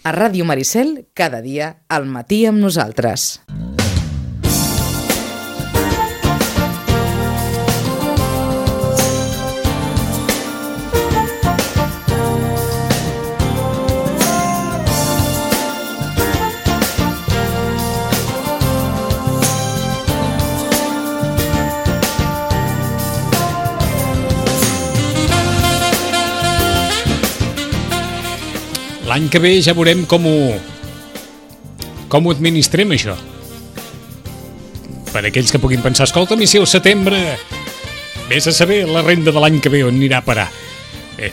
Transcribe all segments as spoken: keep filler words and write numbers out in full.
A Ràdio Maricel, cada dia, al matí amb nosaltres. L'any que ve ja veurem com ho, com ho administrem, això. Per aquells que puguin pensar, escolta'm, i si el setembre vés a saber la renda de l'any que ve on anirà a parar. Bé,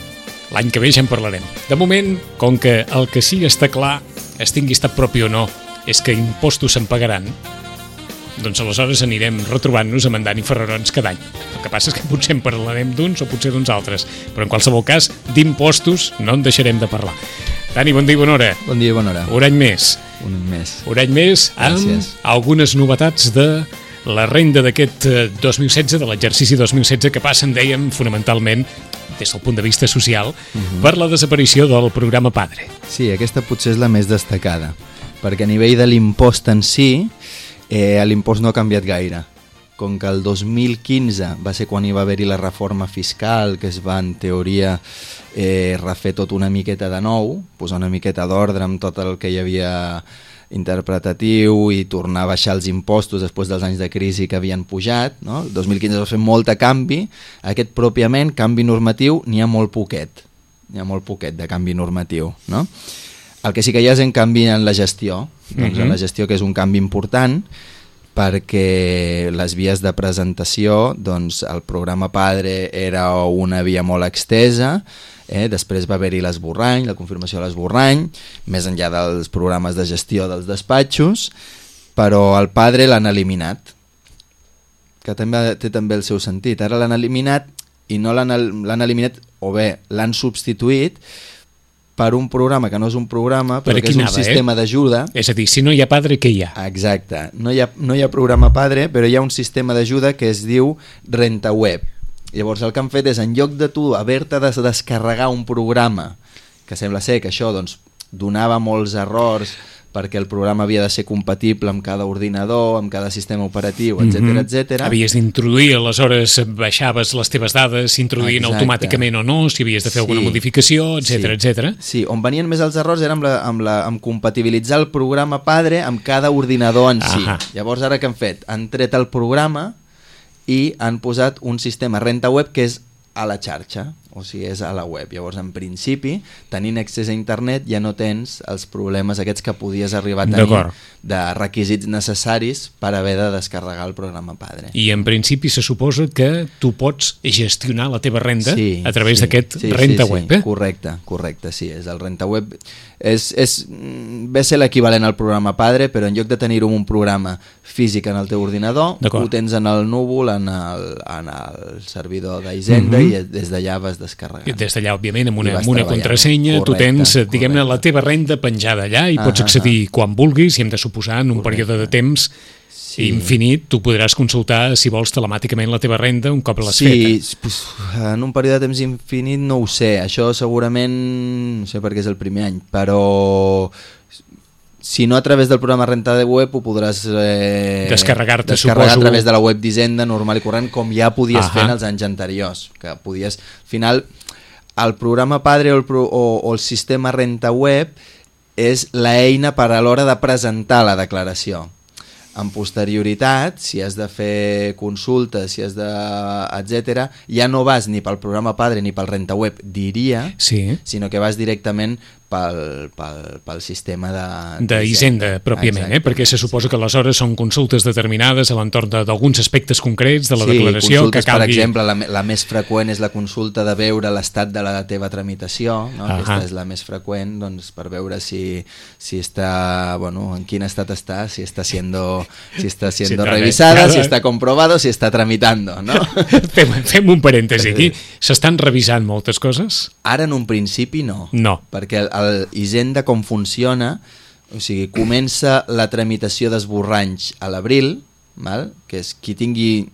l'any que ve ja en parlarem. De moment, com que el que sí està clar, es tingui estat propi o no, és que impostos se'n pagaran, doncs aleshores anirem retrobant-nos a mandant i ferrarons cada any. El que passa és que potser en parlarem d'uns o potser d'uns altres, però en qualsevol cas, d'impostos no en deixarem de parlar. Dani, bon dia i bona hora. Bon dia i bona hora. Un any més. Un any més. Un any més amb Gràcies. Algunes novetats de la renda d'aquest dos mil setze, de l'exercici dos mil setze, que passen, dèiem, fonamentalment, des del punt de vista social, uh-huh. per la desaparició del programa Padre. Sí, aquesta potser és la més destacada, perquè a nivell de l'impost en si, eh, l'impost no ha canviat gaire. Com que el dos mil quinze va ser quan hi va haver-hi la reforma fiscal, que es va, en teoria, eh, refer tot una miqueta de nou, posar una miqueta d'ordre amb tot el que hi havia interpretatiu i tornar a baixar els impostos després dels anys de crisi que havien pujat, no? El dos mil quinze va fer molt de canvi, aquest pròpiament, canvi normatiu, n'hi ha molt poquet, n'hi ha molt poquet de canvi normatiu, no? El que sí que hi ha és en canvi en la gestió, doncs uh-huh. en la gestió, que és un canvi important, perquè les vies de presentació, doncs el programa Padre era una via molt extesa, eh? Després va haver-hi l'esborrany, la confirmació de l'esborrany, més enllà dels programes de gestió dels despatxos, però el Padre l'han eliminat, que també té també el seu sentit. Ara l'han eliminat i no l'han, l'han eliminat, o bé l'han substituït per un programa que no és un programa, però que és un anava, sistema eh? d'ajuda. És a dir, si no hi ha Padre, què hi ha? Exacte, no hi ha, no hi ha programa Padre, però hi ha un sistema d'ajuda que es diu RentaWeb. Llavors el que han fet és, en lloc de tu haver-te de descarregar un programa, que sembla ser que això doncs, donava molts errors perquè el programa havia de ser compatible amb cada ordinador, amb cada sistema operatiu, etcètera, mm-hmm. etcètera. Havies d'introduir, aleshores baixaves les teves dades, s'introduïen automàticament o no, si havies de fer sí. alguna modificació, etcètera, sí. etcètera. Sí, on venien més els errors era amb, la, amb, la, amb compatibilitzar el programa Padre amb cada ordinador en si. Ahà. Llavors ara què han fet? Han tret el programa i han posat un sistema RentaWeb que és a la xarxa, o sigui, és a la web. Llavors, en principi, tenint accés a internet ja no tens els problemes aquests que podies arribar a tenir de requisits necessaris per haver de descarregar el programa Padre. I en principi se suposa que tu pots gestionar la teva renda sí, a través sí, d'aquest sí, RentaWeb, sí, sí. eh? Correcte, correcte, sí, és el RentaWeb. És, és, ve a ser l'equivalent al programa Padre, però en lloc de tenir-ho en un programa físic en el teu ordinador, ho tens en el núvol, en el, en el servidor d'Hisenda, uh-huh. i des d'allà vas descarregant. Des d'allà, òbviament, amb una, amb una contrasenya, correcte, tu tens, diguem-ne, la teva renda penjada allà i pots accedir uh-huh. quan vulguis, i hem de suposar, en un correcte. Període de temps sí. infinit, tu podràs consultar, si vols, telemàticament la teva renda un cop l'has sí, feta. Sí, pues, en un període de temps infinit no ho sé, això segurament, no sé perquè és el primer any, però si no a través del programa RentaWeb ho podràs eh, descarregar-te, descarregar suposo. A través de la web d'Hisenda normal i corrent, com ja podies Ahà. fer en els anys anteriors, que podies, al final, el programa Padre o el, pro, o, o el sistema RentaWeb és l'eina per a l'hora de presentar la declaració. En posterioritat, si has de fer consultes, si has de... etcètera, ja no vas ni pel programa Padre ni pel RentaWeb, diria, sí. sinó que vas directament pel, pel, pel sistema de... d'Hisenda, pròpiament, eh? Perquè se suposa que aleshores són consultes determinades a l'entorn d'alguns aspectes concrets de la sí, declaració. Consultes, que calgui... per exemple, la, la més freqüent és la consulta de veure l'estat de la teva tramitació, no? Aquesta és la més freqüent, doncs, per veure si, si està, bueno, en quin estat està, si està siendo, si està siendo sí, revisada, cada... si està comprobado, si està tramitando, no? fem, fem un parèntesi aquí. S'estan revisant moltes coses? Ara en un principi no. No. Perquè el, el Hisenda com funciona, o sigui, comença la tramitació d'esborranys a l'abril, val? Que és qui tingui,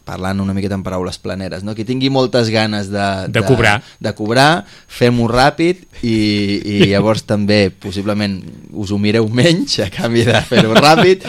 parlant una miqueta en paraules planeres, no? Qui tingui moltes ganes de, de, de cobrar, de cobrar fem-ho ràpid i, i llavors també possiblement us ho mireu menys a canvi de fer-ho ràpid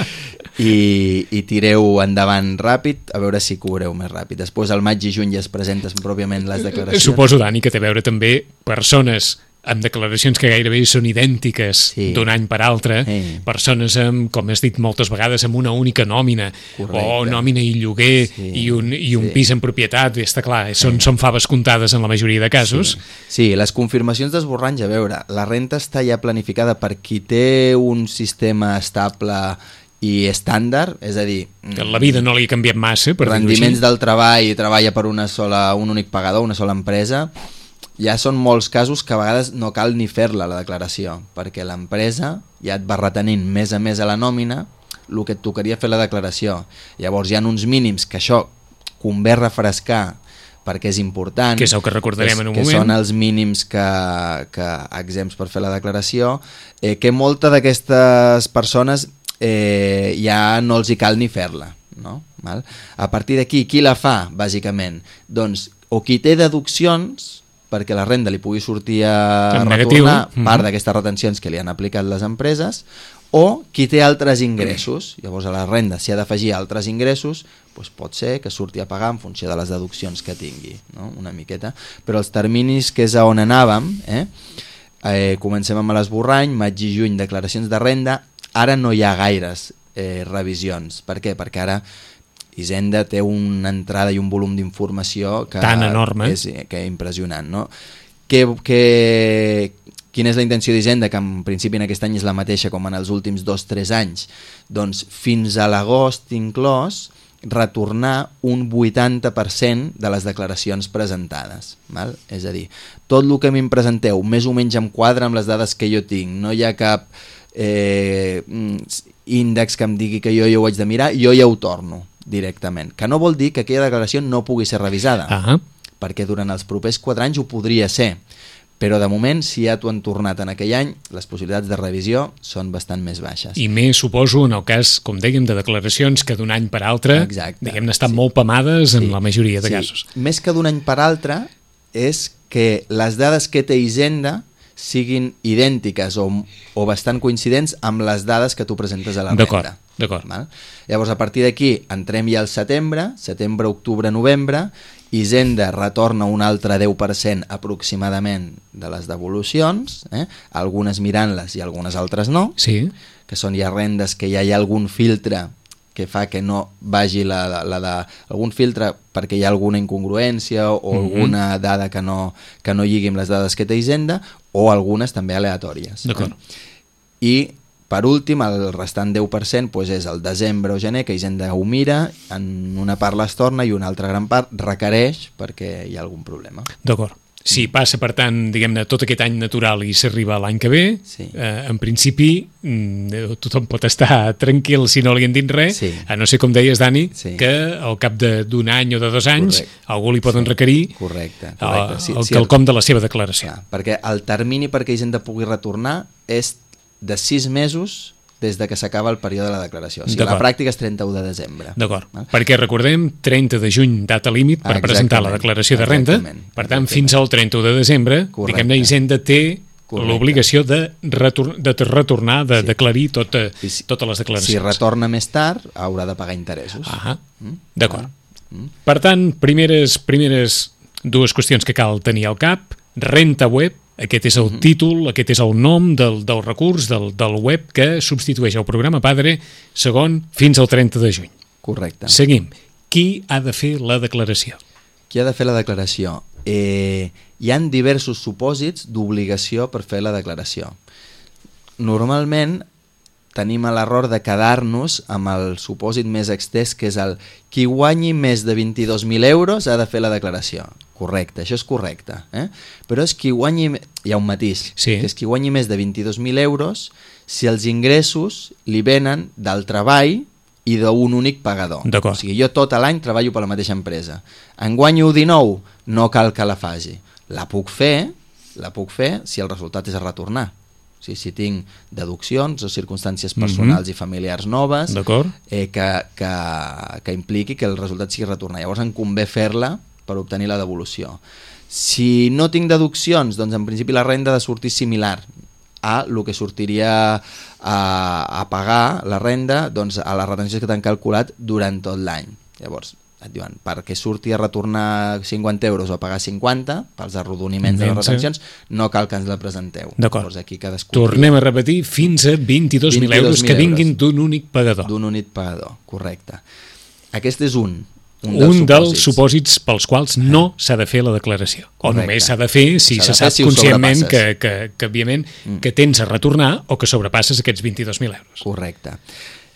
i, i tireu endavant ràpid a veure si cobreu més ràpid. Després al maig i juny ja es presenten pròpiament les declaracions. Suposo, Dani, que té a veure també persones amb declaracions que gairebé són idèntiques sí. d'un any per altre, sí. persones amb, com has dit moltes vegades, amb una única nòmina, correcte. O nòmina i lloguer sí. i un, i un sí. pis en propietat, està clar, són, sí. són faves comptades en la majoria de casos. Sí, sí, les confirmacions d'esborranys, a veure, la renta està ja planificada per qui té un sistema estable i estàndard, és a dir... Que la vida no li ha canviat massa, per rendiments del treball i treballa per una sola, un únic pagador, una sola empresa. Ja són molts casos que a vegades no cal ni fer-la, la declaració, perquè l'empresa ja et va retenint més a més a la nòmina el que et tocaria fer la declaració. Llavors hi ha uns mínims que això convé refrescar perquè és important, que és el que recordarem és, en un que moment, són els mínims que, que exempts per fer la declaració, eh, que molta d'aquestes persones eh, ja no els hi cal ni fer-la, no? Val? A partir d'aquí, qui la fa, bàsicament? Doncs o qui té deduccions perquè la renda li pugui sortir a en retornar negatiu. part Mm-hmm. d'aquestes retencions que li han aplicat les empreses, o qui té altres ingressos. Llavors a la renda s'hi ha d'afegir altres ingressos, doncs pot ser que surti a pagar en funció de les deduccions que tingui, no? Una miqueta. Però els terminis, que és a on anàvem, eh? Eh, comencem amb l'esborrany, maig i juny declaracions de renda, ara no hi ha gaires eh, revisions. Per què? Perquè ara Hisenda té una entrada i un volum d'informació que tan enorme, és, que és impressionant, no? Que, que, quina és la intenció d'Hisenda, que en principi en aquest any és la mateixa com en els últims dos o tres anys? Doncs fins a l'agost inclòs retornar un vuitanta per cent de les declaracions presentades, val? És a dir, tot el que a mi em presenteu més o menys em quadra amb les dades que jo tinc, no hi ha cap eh, índex que em digui que jo ja ho haig de mirar, jo ja ho torno directament, que no vol dir que aquella declaració no pugui ser revisada, ah. perquè durant els propers quatre anys ho podria ser, però de moment, si ja t'ho han tornat en aquell any, les possibilitats de revisió són bastant més baixes. I més, suposo, en el cas, com dèiem, de declaracions que d'un any per altre, exacte, diguem-ne, estan sí. molt pamades en sí. la majoria de sí. casos. Més que d'un any per altre, és que les dades que té Hisenda siguin idèntiques o, o bastant coincidents amb les dades que tu presentes a la renda. D'acord. Llavors, a partir d'aquí, entrem ja al setembre, setembre, octubre, novembre, Hisenda retorna un altre deu per cent aproximadament de les devolucions, eh? Algunes mirant-les i algunes altres no, sí. que són ja rendes que ja hi ha algun filtre que fa que no vagi la, la, la de... algun filtre perquè hi ha alguna incongruència o mm-hmm. alguna dada que no, que no lligui amb les dades que té Hisenda, o algunes també aleatòries. D'acord. Eh? I per últim, el restant deu per cent doncs és el desembre o gener, que Hisenda ho mira, en una part les torna i una altra gran part requereix perquè hi ha algun problema. D'acord. Si passa, per tant, diguem-ne, tot aquest any natural i s'arriba l'any que ve, sí. eh, en principi mm, tothom pot estar tranquil si no li han dit res, sí. a no ser, com deies, Dani, sí. que al cap d'un any o de dos anys correcte. Algú li poden sí. requerir correcte, correcte. El, sí, el sí, quelcom de la seva declaració. Clar, perquè el termini perquè Hisenda pugui retornar és de sis mesos des de que s'acaba el període de la declaració. O sigui, la pràctica és trenta-u de desembre. D'acord. Perquè recordem, trenta de juny, data límit per ah, presentar la declaració de renda. Per tant, fins al trenta-u de desembre, diguem-ne, Hisenda té l'obligació de, retor de retornar, de sí. declarir tota, si, totes les declaracions. Si retorna més tard, haurà de pagar interessos. Ah, mm? D'acord. Mm? Per tant, primeres, primeres dues qüestions que cal tenir al cap: renta web. Aquest és el uh-huh. títol, aquest és el nom del, del recurs, del, del web que substitueix el programa Padre, segon, fins al trenta de juny. Correcte. Seguim. Qui ha de fer la declaració? Qui ha de fer la declaració? Eh, hi han diversos supòsits d'obligació per fer la declaració. Normalment tenim l'error de quedar-nos amb el supòsit més extès, que és el qui guanyi més de vint-i-dos mil euros ha de fer la declaració. Correcte, això és correcte. Eh? Però és qui guanyi... Hi ha un matís. Sí. Que és qui guanyi més de vint-i-dos mil euros si els ingressos li venen del treball i d'un únic pagador. O sigui, jo tot l'any treballo per la mateixa empresa. En guanyo dinou, no cal que la faci. La puc fer, la puc fer si el resultat és a retornar. O sigui, si tinc deduccions o circumstàncies personals mm-hmm. i familiars noves eh, que, que, que impliqui que el resultat sigui retornar. Llavors em convé fer-la per obtenir la devolució. Si no tinc deduccions, doncs en principi la renda ha de sortir similar a el que sortiria a, a pagar la renda doncs, a les retencions que t'han calculat durant tot l'any. Llavors, et diuen, perquè surti a retornar cinquanta euros o a pagar cinquanta pels arrodoniments de les retencions, no cal que ens la presenteu. D'acord. Aquí cadascú... Tornem a repetir, fins a vint-i-dos mil euros que vinguin d'un únic pagador. D'un únic pagador, correcte. Aquest és un. Un, dels, un supòsits. dels supòsits pels quals no s'ha de fer la declaració. Correcte. O només s'ha de fer si se sap si conscientment que, que, que, òbviament, mm. que tens a retornar o que sobrepasses aquests vint-i-dos mil euros. Correcte.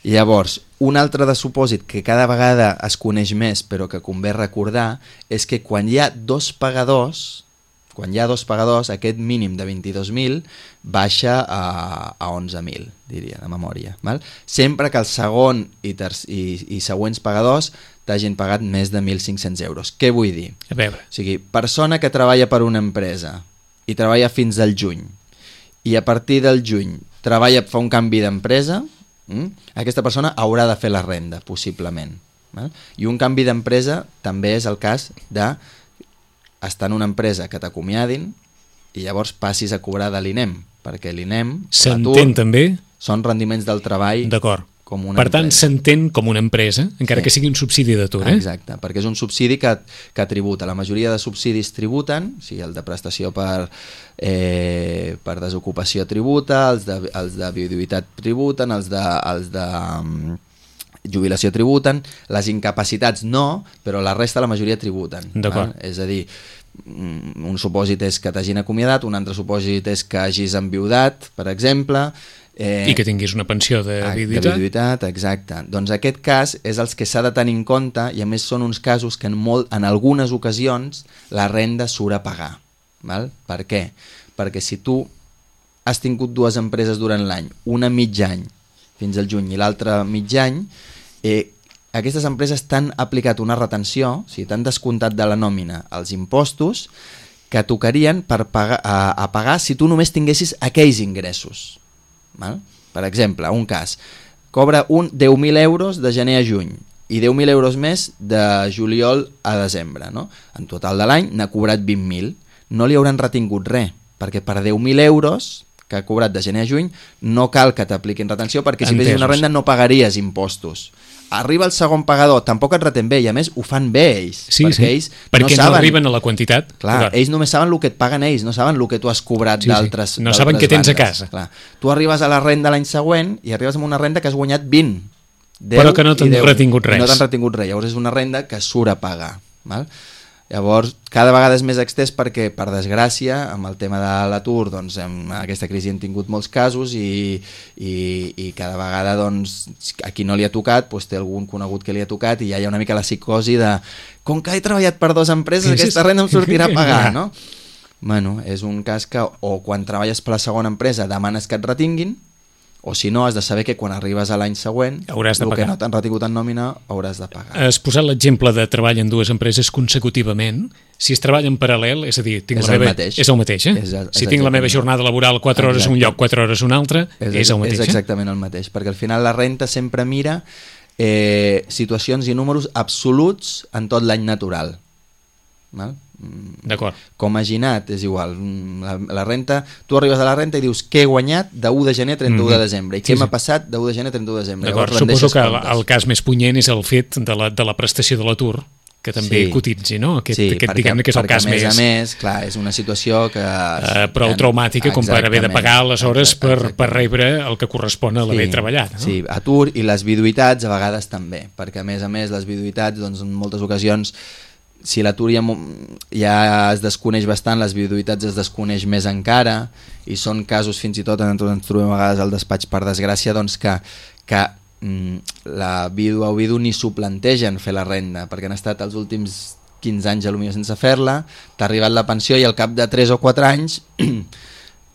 Llavors, un altre de supòsit que cada vegada es coneix més però que convé recordar és que quan hi ha dos pagadors, quan hi ha dos pagadors, aquest mínim de vint-i-dos mil baixa a, a onze mil, diria, de memòria. Val? Sempre que el segon i, terç, i, i següents pagadors t'hagin pagat més de mil cinc-cents euros. Què vull dir? A veure. O sigui, persona que treballa per una empresa i treballa fins al juny i a partir del juny treballa, fa un canvi d'empresa, mm? aquesta persona haurà de fer la renda, possiblement. Val? I un canvi d'empresa també és el cas de estar en una empresa que t'acomiadin i llavors passis a cobrar de l'I N E M, perquè l'I N E M, s'entén també? Són rendiments del treball. D'acord. Com una per tant, empresa. S'entén com una empresa, encara sí. que sigui un subsidi d'atur. Eh? Exacte, perquè és un subsidi que, que tributa. La majoria de subsidis tributen, o sigui, el de prestació per, eh, per desocupació tributa, els de, els de viuditat tributen, els de, els de um, jubilació tributen, les incapacitats no, però la resta la majoria tributen. D'acord. És a dir, un supòsit és que t'hagin acomiadat, un altre supòsit és que hagis enviudat, per exemple... Eh, I que tinguis una pensió de viuditat. De viuditat, exacte. Doncs aquest cas és els que s'ha de tenir en compte i a més són uns casos que en, molt, en algunes ocasions la renda surt a pagar. Val? Per què? Perquè si tu has tingut dues empreses durant l'any, una mig any fins al juny i l'altra mig any, eh, aquestes empreses t'han aplicat una retenció, o sigui, t'han descomptat de la nòmina els impostos que tocarien per pagar, a, a pagar si tu només tinguessis aquells ingressos. Val? Per exemple, un cas, cobra un deu mil euros de gener a juny i deu mil euros més de juliol a desembre, no? En total de l'any n'ha cobrat vint mil, no li hauran retingut res, perquè per deu mil euros que ha cobrat de gener a juny no cal que t'apliquin retenció, perquè si fessis una renda no pagaries impostos. Arriba el segon pagador, tampoc et retén bé, i a més ho fan bé ells, sí, perquè sí. ells perquè no saben... no arriben a la quantitat. Clar, clar, ells només saben el que et paguen ells, no saben el que tu has cobrat sí, d'altres sí. No saben què tens a casa. Clar. Tu arribes a la renda l'any següent i arribes amb una renda que has guanyat vint, deu, però que no t'han retingut res. No t'han retingut res, llavors és una renda que surt a pagar. Val? Llavors, cada vegada és més extès perquè, per desgràcia, amb el tema de l'atur, doncs, en aquesta crisi hem tingut molts casos i, i, i cada vegada, doncs, a qui no li ha tocat, doncs, té algun conegut que li ha tocat i ja hi ha una mica la psicosi de com que he treballat per dues empreses, sí, aquesta renda em sortirà a pagar, no? Bueno, és un cas que, o quan treballes per la segona empresa demanes que et retinguin, o si no, has de saber que quan arribes a l'any següent hauràs de el pagar. que no t'han retingut en nòmina hauràs de pagar. Has posat l'exemple de treball en dues empreses consecutivament. Si es treballa en paral·lel, és a dir, tinc és, la el meva... mateix. és el mateix. Eh? És, és si tinc la meva jornada laboral quatre hores en un lloc, quatre hores en un altre, és, és el mateix. És exactament el mateix, perquè al final la renta sempre mira eh, situacions i números absoluts en tot l'any natural. Val? D'acord. Com a ginat és igual, la, la renta, tu arribes a la renta i dius què he guanyat de u de gener a trenta-u de desembre i què sí, m'ha sí. passat de u de gener a trenta-u de desembre. D'acord, suposo que el, el cas més punyent és el fet de la, de la prestació de l'atur, que també sí. cotitzi, no? Aquest, sí, aquest perquè, diguem-ne que és el cas més... més... a més, clar, és una situació que... Uh, prou traumàtica com per haver de pagar les hores per, per rebre el que correspon a l'haver sí, treballat. No? Sí, atur i les viduïtats a vegades també, perquè a més a més les viduïtats, doncs en moltes ocasions si l'atur ja, ja es desconeix bastant, les viuditats es desconeix més encara i són casos fins i tot en tot ens trobem a vegades al despatx per desgràcia doncs que, que mm, la vídua o vidu ni s'ho plantegen fer la renda perquè han estat els últims quinze anys potser sense fer-la, t'ha arribat la pensió i al cap de tres o quatre anys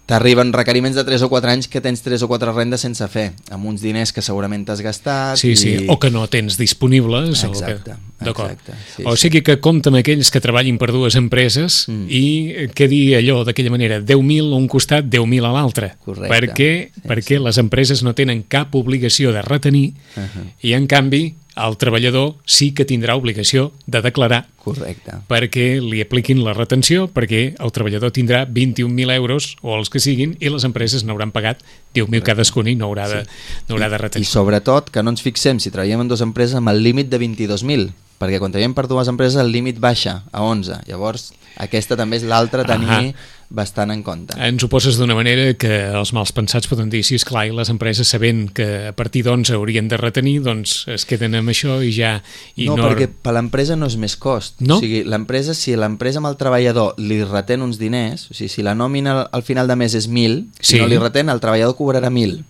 t'arriben requeriments de tres o quatre anys que tens tres o quatre rendes sense fer, amb uns diners que segurament t'has gastat. Sí, i... sí, o que no tens disponibles. Exacte, o que... exacte. Sí, o sigui que compta amb aquells que treballin per dues empreses mm. i quedi allò d'aquella manera, deu mil a un costat, deu mil a l'altre. Correcte. Perquè, sí, perquè sí. les empreses no tenen cap obligació de retenir uh -huh. i, en canvi, el treballador sí que tindrà obligació de declarar. Correcte. Perquè li apliquin la retenció, perquè el treballador tindrà vint-i-un mil euros, o els que siguin, i les empreses n'hauran pagat deu mil cadascun i no haurà, de, sí. no haurà de retenir. I, I sobretot que no ens fixem, si treballem en dues empreses, amb el límit de vint-i-dos mil, perquè quan treballem per dues empreses el límit baixa a onze. Llavors, aquesta també és l'altra a tenir Aha. bastant en compte. Ens ho poses d'una manera que els mals pensats poden dir, sí, esclar, i les empreses sabent que a partir d'onze haurien de retenir, doncs es queden amb això i ja... I no, no, perquè per l'empresa no és més cost. No? O sigui, l'empresa, si l'empresa amb el treballador li retén uns diners, o sigui, si la nòmina al final de mes és mil, si sí. no li retén, el treballador cobrarà mil.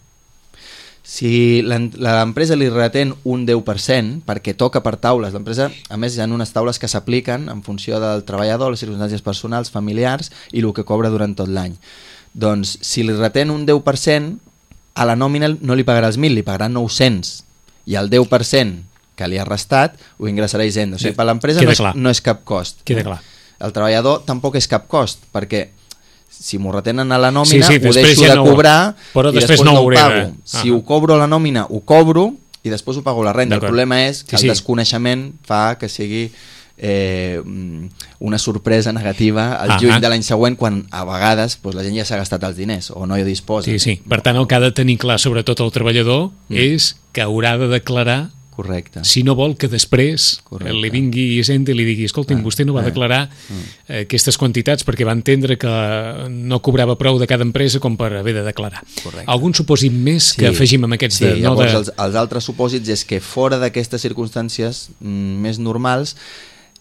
Si l'empresa li retén un deu per cent, perquè toca per taules, l'empresa, a més, hi ha unes taules que s'apliquen en funció del treballador, les circumstàncies personals, familiars i el que cobra durant tot l'any. Doncs, si li retén un deu per cent, a la nòmina no li pagarà els mil, li pagarà nou-cents, i el deu per cent que li ha restat ho ingressarà a Hisenda. O sigui, per l'empresa no, és, no és cap cost. Queda clar. El treballador tampoc és cap cost, perquè si m'ho retenen a la nòmina, sí, sí, ho deixo ja de no, cobrar però i després després no no ho ho pago. de... Si ho cobro a la nòmina, ho cobro i després ho pago la renda. El problema és que sí, el sí. desconeixement fa que sigui eh, una sorpresa negativa al juny Aha. de l'any següent, quan a vegades doncs, la gent ja s'ha gastat els diners o no hi disposa. Sí, sí. Per tant, el que ha de tenir clar, sobretot el treballador, mm. és que haurà de declarar. Correcte. Si no vol que després Correcte. li vingui Hisenda i li digui, escolti'm, ah, vostè no va ah, declarar ah. aquestes quantitats perquè va entendre que no cobrava prou de cada empresa com per haver de declarar. Correcte. Algun supòsit més sí. que afegim amb aquests? Sí, de, no llavors de... els, els altres supòsits és que fora d'aquestes circumstàncies mm, més normals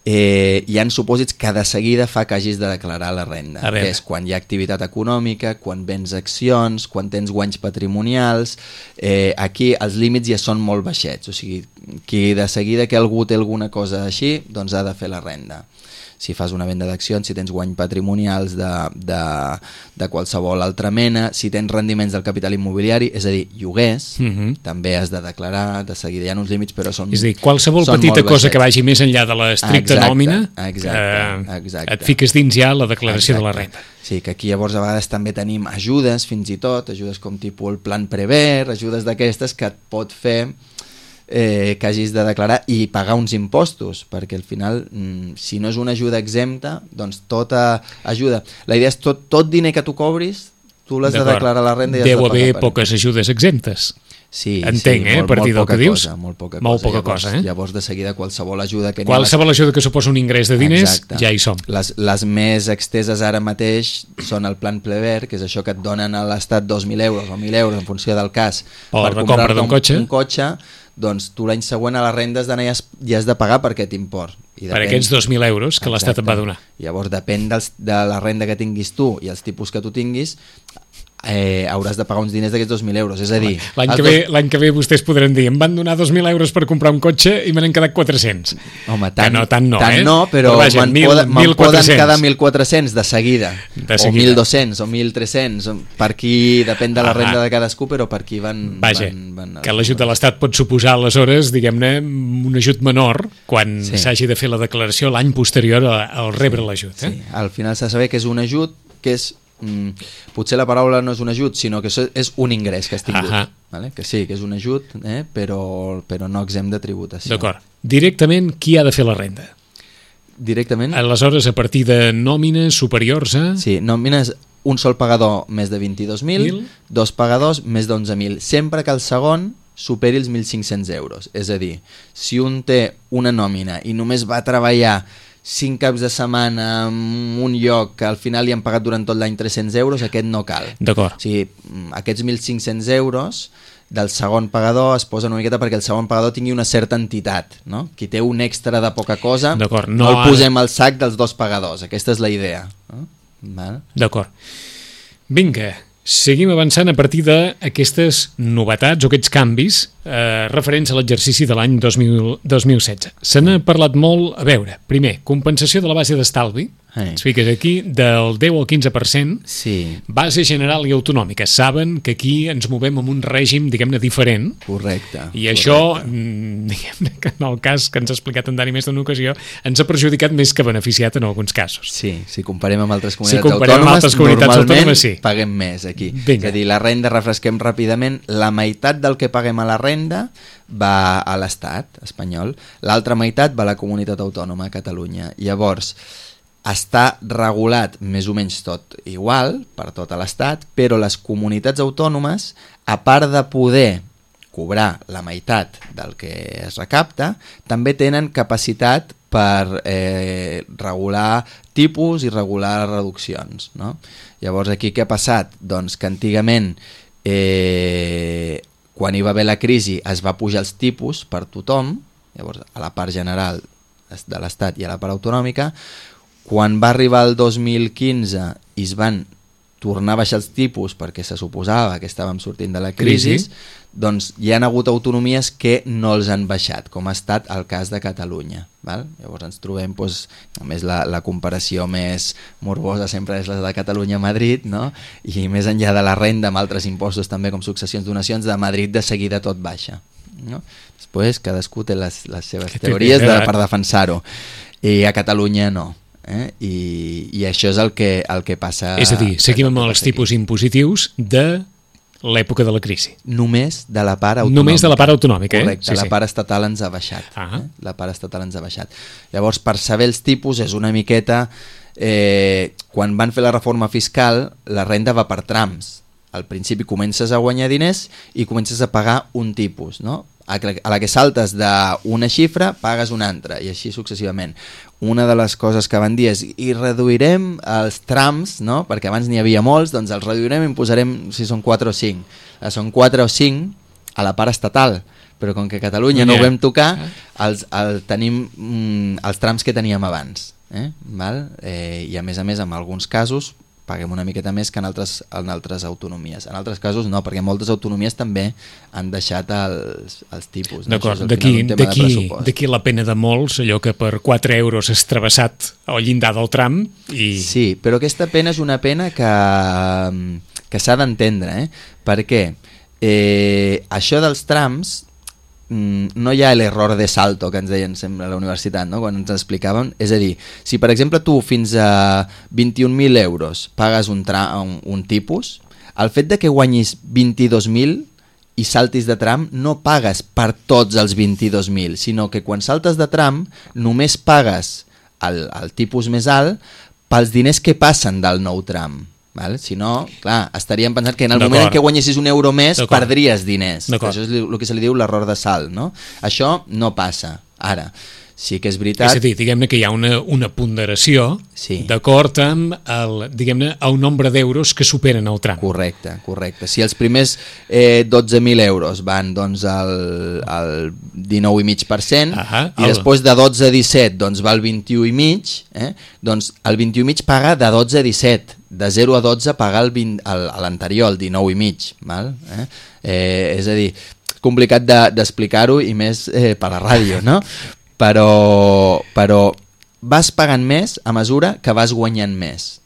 eh, hi ha supòsits que de seguida fa que hagis de declarar la renda, que és quan hi ha activitat econòmica, quan vens accions, quan tens guanys patrimonials. Eh, aquí els límits ja són molt baixets, o sigui, qui de seguida que algú té alguna cosa així, doncs ha de fer la renda. Si fas una venda d'accions, si tens guany patrimonials de, de, de qualsevol altra mena, si tens rendiments del capital immobiliari, és a dir, lloguers, uh -huh. també has de declarar, de seguida hi ha uns límits, però són... És a dir, qualsevol petita cosa que vagi més enllà de l'estricta nòmina, exacte, exacte. Eh, et fiques dins ja la declaració exacte. de la renda. Sí, que aquí llavors a vegades també tenim ajudes, fins i tot, ajudes com tipus el plan Prever, ajudes d'aquestes que et pot fer Eh, que hagis de declarar i pagar uns impostos, perquè al final mm, si no és una ajuda exempta, doncs tota ajuda, la idea és tot, tot diner que tu cobris, tu l'has de declarar la renda i has Deu de pagar haver per poques ajudes exemptes. Sí, entenc, sí, eh, molt, a partir del que dius. Cosa, molt poca molt cosa. poca llavors, cosa, eh? Llavors de seguida qualsevol ajuda que qualsevol ajuda que suposa un ingrés de diners, exacte. Ja hi som. Les, les més exteses ara mateix són el plan Prever, que és això que et donen a l'Estat dos mil euros o mil euros en funció del cas o per la compra d'un un, cotxe. un cotxe, doncs tu l'any següent a la renda has d'anar i has, i has de pagar per aquest import. I depèn, per aquests dos mil euros que l'Estat et va donar. Llavors depèn dels, de la renda que tinguis tu i els tipus que tu tinguis, eh, hauràs de pagar uns diners d'aquests dos mil euros, és a dir... L'any que, dos... ve, que ve vostès podran dir, em van donar dos mil euros per comprar un cotxe i me n'han quedat quatre-cents. Home, tant, no, tant no, tant eh? no, però, però vaja, me'n poden, me poden quedar mil quatre-cents de seguida, de seguida, o mil dos-cents, o mil tres-cents, per qui, depèn de la renda ah, de cadascú, però per qui van... Vaja, van, van que l'ajut de l'Estat pot suposar aleshores, diguem-ne, un ajut menor quan s'hagi sí. de fer la declaració l'any posterior al rebre l'ajut. Eh? Sí, al final s'ha de saber que és un ajut que és Mm, potser la paraula no és un ajut, sinó que és un ingrés que has tingut. Vale? Que sí, que és un ajut, eh? però, però no exempt de tributació. D'acord. Directament, qui ha de fer la renda? Directament? Aleshores, a partir de nòmines superiors a... Sí, nòmines, un sol pagador més de vint-i-dos mil, dos pagadors més d'onze mil, sempre que el segon superi els mil cinc-cents euros. És a dir, si un té una nòmina i només va treballar cinc caps de setmana en un lloc que al final li han pagat durant tot l'any tres-cents euros, aquest no cal. D'acord. O sigui, aquests mil cinc-cents euros del segon pagador es posen una miqueta perquè el segon pagador tingui una certa entitat, no? Qui té un extra de poca cosa, no, no el posem al sac dels dos pagadors. Aquesta és la idea. No? Vale. D'acord. Vinga, seguim avançant a partir d'aquestes novetats o aquests canvis eh, referents a l'exercici de l'any dos mil setze. Se n'ha parlat molt, a veure, primer, compensació de la base d'estalvi, Hey. Ens fiques aquí del deu al quinze per cent, sí. base general i autonòmica. Saben que aquí ens movem amb un règim, diguem-ne, diferent. Correcte. I això, diguem-ne, que en el cas que ens ha explicat en Dani més d'una ocasió, ens ha perjudicat més que beneficiat en alguns casos. Sí, si comparem amb altres comunitats si comparem autònomes, amb altres comunitats normalment autònomes, sí. paguem més aquí. Vinga. És a dir, la renda, refresquem ràpidament, la meitat del que paguem a la renda va a l'Estat espanyol, l'altra meitat va a la comunitat autònoma, a Catalunya. Llavors, està regulat més o menys tot igual per tot l'Estat, però les comunitats autònomes, a part de poder cobrar la meitat del que es recapta, també tenen capacitat per eh, regular tipus i regular reduccions, no? Llavors aquí què ha passat? Doncs que antigament eh, quan hi va haver la crisi es va pujar els tipus per tothom, llavors a la part general de l'Estat i a la part autonòmica. Quan va arribar el dos mil quinze i es van tornar a baixar els tipus perquè se suposava que estàvem sortint de la crisi, crisi, doncs hi han hagut autonomies que no els han baixat, com ha estat el cas de Catalunya. Val? Llavors ens trobem, doncs, a més la, la comparació més morbosa sempre és la de Catalunya-Madrid, no? I més enllà de la renda amb altres impostos també com successions, donacions, de Madrid de seguida tot baixa. No? Després cadascú té les, les seves que teories de, per defensar-ho, i a Catalunya no. Eh? I, i això és el que, el que passa. És a dir, seguim amb els tipus impositius de l'època de la crisi. Només de la part autonòmica. Només de la part autonòmica, eh? Correcte, sí, la sí. part estatal ens ha baixat. Ah. Eh? La part estatal ens ha baixat. Llavors, per saber els tipus és una miqueta... Eh, quan van fer la reforma fiscal, la renda va per trams. Al principi comences a guanyar diners i comences a pagar un tipus, no? A la que saltes d'una xifra pagues una altra, i així successivament. Una de les coses que van dir és i reduirem els trams, no? Perquè abans n'hi havia molts, doncs els reduirem i en posarem si són quatre o cinc. Són quatre o cinc a la part estatal, però com que a Catalunya no ho vam tocar, els, el, tenim mm, els trams que teníem abans. Eh? Val? Eh, I a més a més, en alguns casos, paguem una miqueta més que en altres, en altres autonomies. En altres casos no, perquè moltes autonomies també han deixat els, els tipus. No? D'acord, d'aquí la pena de molts, allò que per quatre euros has travessat el llindar del tram. I... Sí, però aquesta pena és una pena que, que s'ha d'entendre, eh? Perquè eh, això dels trams, no hi ha l'error de salto que ens deien sempre a la universitat, no? Quan ens explicaven, és a dir, si per exemple tu fins a vint-i-un mil euros pagues un, tra un, un tipus, el fet de que guanyis vint-i-dos mil i saltis de tram no pagues per tots els vint-i-dos mil, sinó que quan saltes de tram només pagues el, el tipus més alt pels diners que passen del nou tram. Val? Si no, clar, estaríem pensant que en el moment en què guanyessis un euro més perdries diners. Això és el que se li diu l'error de salt, no? Això no passa. Ara, sí que és veritat... És a dir, diguem-ne que hi ha una, una ponderació sí. d'acord amb el, diguem-ne, el nombre d'euros que superen el tram. Correcte, correcte. Si els primers eh, dotze mil euros van doncs, al, al dinou coma cinc per cent ah, i el... després de dotze a disset doncs, va al vint-i-u coma cinc, eh? doncs el vint-i-u coma cinc paga de dotze a disset. De zero a dotze pagar l'anterior, el dinou coma cinc. Val? Eh? Eh, és a dir, complicat d'explicar-ho de, i més eh, per la ràdio, no? Però, però vas pagant més a mesura que vas guanyant més.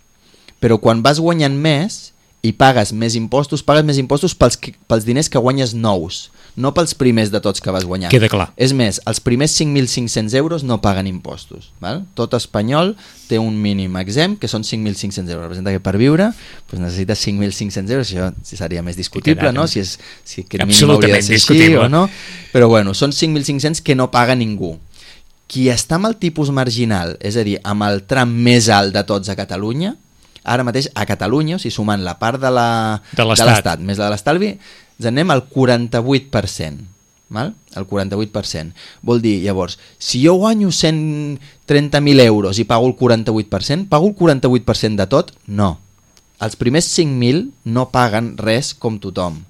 Però quan vas guanyant més i pagues més impostos, pagues més impostos pels, pels diners que guanyes nous, no pels primers de tots que vas guanyar. Queda clar. És més, els primers cinc mil cinc-cents euros no paguen impostos. Val? Tot espanyol té un mínim exempt, que són cinc mil cinc-cents euros. Representa que per viure doncs necessites cinc mil cinc-cents euros, això seria més discutible, no? Si, és, si aquest mínim hauria de ser així o no. Però bueno, són cinc mil cinc-cents que no paga ningú. Qui està amb el tipus marginal, és a dir, amb el tram més alt de tots a Catalunya, ara mateix a Catalunya, o sigui, sumant la part de l'Estat més la de l'estalvi, ens anem al quaranta-vuit per cent. Val? El quaranta-vuit per cent. Vol dir, llavors, si jo guanyo cent trenta mil euros i pago el quaranta-vuit per cent, pago el quaranta-vuit per cent de tot? No. Els primers cinc mil no paguen res com tothom.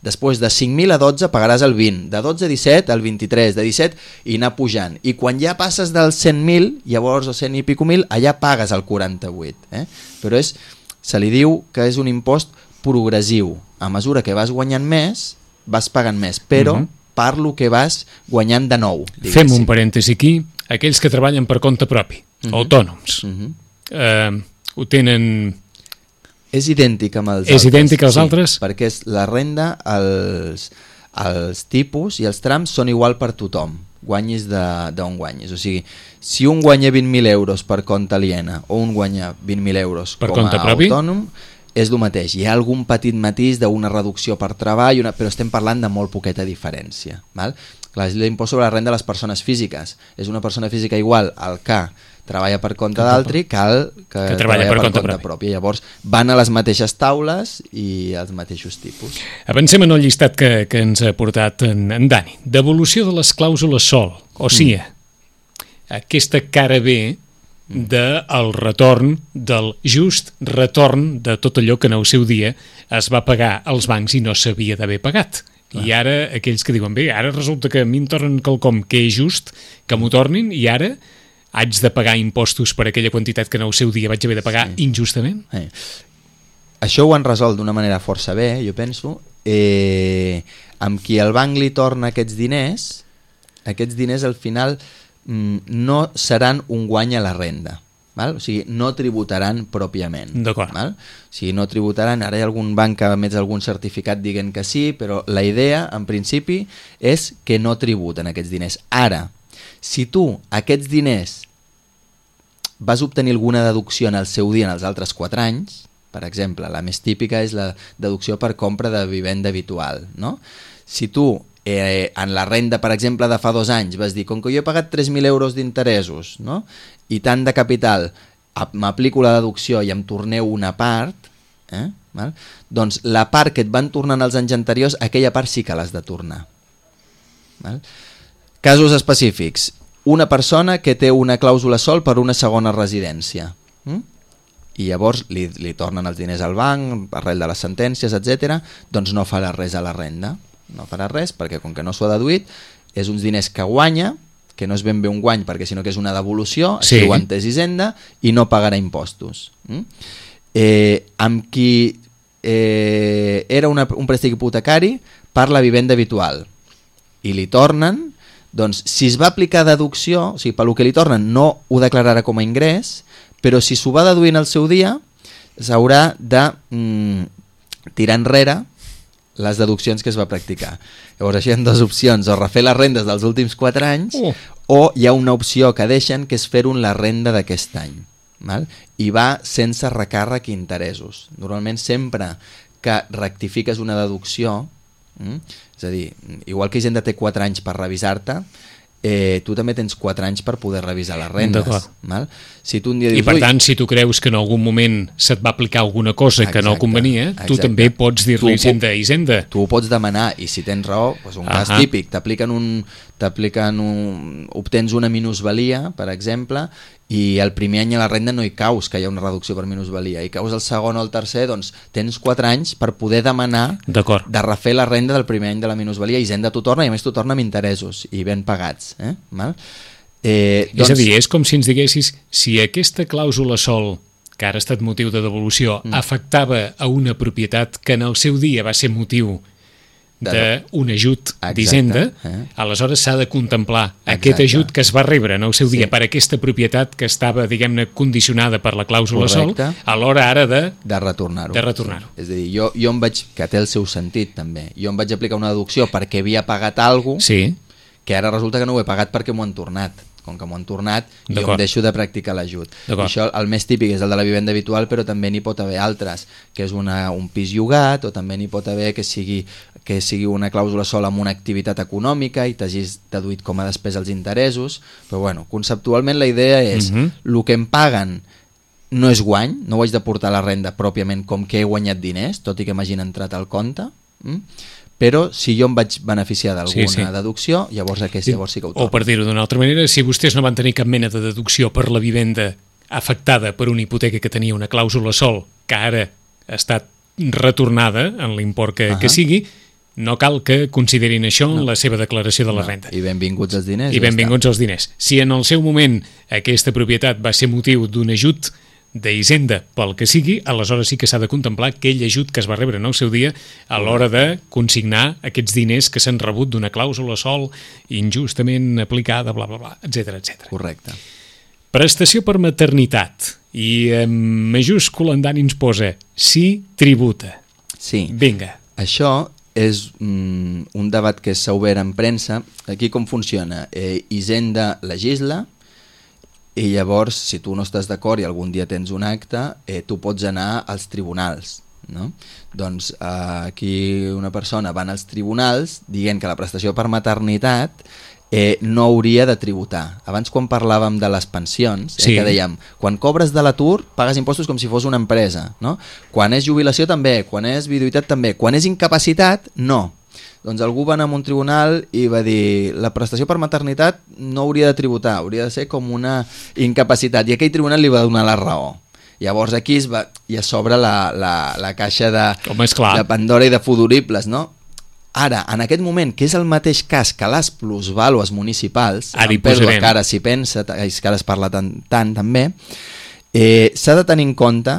Després de cinc mil a dotze pagaràs el vint, de dotze a disset el vint-i-tres, de disset i anar pujant. I quan ja passes dels cent mil, llavors o cent i pico mil, allà pagues el quaranta-vuit. Eh? Però és, se li diu que és un impost progressiu. A mesura que vas guanyant més, vas pagant més, però uh-huh. per lo que vas guanyant de nou. Fem un parèntesi aquí, aquells que treballen per compte propi, uh-huh. autònoms. Uh-huh. eh, ho tenen... És idèntic amb els és altres. idèntic als sí, altres? Perquè és la renda, els, els tipus i els trams són igual per tothom, guanyis d'on guanyis. O sigui, si un guanya vint mil euros per compte aliena o un guanya vint mil euros per com a propi? autònom, és el mateix. Hi ha algun petit matís d'una reducció per treball, una, però estem parlant de molt poqueta diferència. Val? Clar, és l'impost sobre la renda de les persones físiques. És una persona física igual al que treballa per compte d'altri que el que, que treballa per, per compte, compte propi. propi. Llavors van a les mateixes taules i als mateixos tipus. Avancem en el llistat que, que ens ha portat en, en Dani. Devolució de les clàusules sol, o sigui, mm. aquesta cara B del retorn, del just retorn de tot allò que en el seu dia es va pagar als bancs i no s'havia d'haver pagat. Clar. I ara aquells que diuen, bé, ara resulta que a mi em tornen quelcom que és just, que m'ho tornin, i ara haig de pagar impostos per aquella quantitat que en el seu dia vaig haver de pagar sí. injustament? Sí. Això ho han resolt d'una manera força bé, jo penso. Eh, amb qui el banc li torna aquests diners, aquests diners al final no seran un guany a la renda, val? O sigui, no tributaran pròpiament. D'acord. Val? O sigui, no tributaran, ara hi ha algun banc que ha emès algun certificat dient que sí, però la idea, en principi, és que no tributen aquests diners. Ara, si tu aquests diners vas obtenir alguna deducció en el seu dia en els altres quatre anys, per exemple, la més típica és la deducció per compra de vivenda habitual, no? Si tu Eh, en la renda, per exemple, de fa dos anys vas dir, com que jo he pagat tres mil euros d'interessos, no? I tant de capital, m'aplico la deducció i em torneu una part, eh? Val? Doncs la part que et van tornant els anys anteriors, aquella part sí que l'has de tornar. Val? Casos específics. Una persona que té una clàusula sol per una segona residència. Mm? I llavors li, li tornen els diners al banc, arrel de les sentències, etcètera, doncs no farà res a la renda. No farà res, perquè com que no s'ho ha deduït, és uns diners que guanya, que no és ben bé un guany, perquè sinó que és una devolució, sí. Així ho ha entès Hisenda, i no pagarà impostos. Mm? Eh, amb qui eh, era una, un préstec hipotecari per la vivenda habitual, i li tornen, doncs si es va aplicar deducció, o sigui, pel que li tornen no ho declararà com a ingrés, però si s'ho va deduir en el seu dia, s'haurà de mm, tirar enrere les deduccions que es va practicar. Llavors així hi ha dues opcions, o refer les rendes dels últims quatre anys, oh. o hi ha una opció que deixen, que és fer-ho en la renda d'aquest any. Val? I va sense recàrrec i interessos. Normalment sempre que rectifiques una deducció, mm? és a dir, igual que Hisenda té quatre anys per revisar-te, eh, tu també tens quatre anys per poder revisar les rendes. Val? Si tu un dia dius, I per tant, si tu creus que en algun moment se't va aplicar alguna cosa exacte, que no convenia, tu exacte. també pots dir-li Hisenda, Hisenda. Tu ho pots demanar, i si tens raó, doncs un cas típic, t'apliquen un, t'apliquen un, obtens una minusvalia, per exemple, i el primer any a la renda no hi caus que hi ha una reducció per minusvalia, i caus el segon o el tercer, doncs tens quatre anys per poder demanar de refer la renda del primer any de la minusvalia, i Hisenda t'ho torna, i a més t'ho torna amb interessos i ben pagats. Eh? Val? Eh, doncs... És a dir, és com si ens diguessis, si aquesta clàusula sol, que ara ha estat motiu de devolució, mm. afectava a una propietat que en el seu dia va ser motiu d'un ajut d'Hisenda, eh? aleshores s'ha de contemplar Exacte. aquest ajut que es va rebre en el seu dia sí. per aquesta propietat que estava, diguem-ne, condicionada per la clàusula Correcte. sol, a l'hora ara de... De retornar-ho. De retornar-ho. Sí. És a dir, jo, jo em vaig... que té el seu sentit, també. Jo em vaig aplicar una deducció perquè havia pagat alguna cosa, sí. que ara resulta que no ho he pagat perquè m'ho han tornat. Com que m'ho han tornat, jo em deixo de practicar l'ajut. Això, el més típic és el de la vivenda habitual, però també n'hi pot haver altres, que és una, un pis llogat, o també n'hi pot haver que sigui, que sigui una clàusula sola amb una activitat econòmica i t'hagis deduït com a despesa els interessos, però bueno, conceptualment la idea és, uh-huh. el que em paguen no és guany, no ho haig de portar a la renda pròpiament com que he guanyat diners, tot i que m'hagin entrat al compte, mm? però si jo em vaig beneficiar d'alguna sí, sí. deducció, llavors aquest llavors sí que ho torno. O per dir-ho d'una altra manera, si vostès no van tenir cap mena de deducció per la vivenda afectada per una hipoteca que tenia una clàusula sol, que ara ha estat retornada en l'import que, uh-huh. que sigui, no cal que considerin això en no. la seva declaració de la no. renda. I benvinguts els diners. I benvinguts els diners. Si en el seu moment aquesta propietat va ser motiu d'un ajut d'Hisenda pel que sigui, aleshores sí que s'ha de contemplar aquell ajut que es va rebre en el seu dia a l'hora de consignar aquests diners que s'han rebut d'una clàusula sol injustament aplicada, bla, bla, bla, etcètera, etcètera. Correcte. Prestació per maternitat i en majúscula en Dani ens posa sí, tributa. Sí. Vinga. Això és mm, un debat que s'ha obert en premsa. Aquí com funciona? Eh, Hisenda legisla i llavors, si tu no estàs d'acord i algun dia tens un acte, eh, tu pots anar als tribunals, no? Doncs eh, aquí una persona va als tribunals dient que la prestació per maternitat eh, no hauria de tributar. Abans, quan parlàvem de les pensions, eh, sí. que dèiem, quan cobres de l'atur pagues impostos com si fos una empresa, no? Quan és jubilació també, quan és viduïtat també, quan és incapacitat no. Doncs algú va anar a un tribunal i va dir la prestació per maternitat no hauria de tributar, hauria de ser com una incapacitat, i aquell tribunal li va donar la raó. Llavors aquí es va, ja s'obre la, la, la caixa de, Home, és clar. de Pandora i de fudoribles, no? Ara, en aquest moment, que és el mateix cas que les plusvàlues municipals, ara hi pèrdua posarem. que ara s'hi pensa, és que ara es parla tant, tant també, eh, s'ha de tenir en compte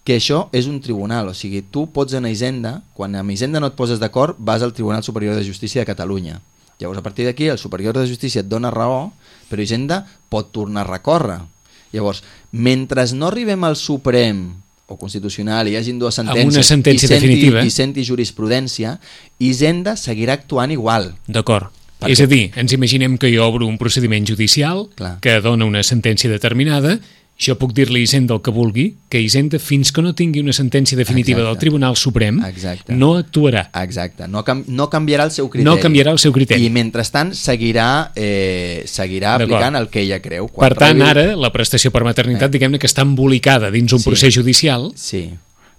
que això és un tribunal, o sigui, tu pots anar a Hisenda, quan amb Hisenda no et poses d'acord, vas al Tribunal Superior de Justícia de Catalunya. Llavors, a partir d'aquí, el Superior de Justícia et dona raó, però Hisenda pot tornar a recórrer. Llavors, mentre no arribem al Suprem o Constitucional i hi hagin dues sentències amb una sentència i senti, definitiva i senti jurisprudència, Hisenda seguirà actuant igual. D'acord. Per És què? a dir, ens imaginem que jo obro un procediment judicial Clar. que dona una sentència determinada, jo puc dir-li a Hisenda el que vulgui, que Hisenda, fins que no tingui una sentència definitiva Exacte. del Tribunal Suprem, Exacte. no actuarà. Exacte, no, cam no canviarà el seu criteri. No canviarà el seu criteri. I mentrestant seguirà, eh, seguirà aplicant el que ella creu. Quan Per tant, rebi... ara, la prestació per maternitat, Eh. diguem-ne que està embolicada dins un Sí. procés judicial. Sí,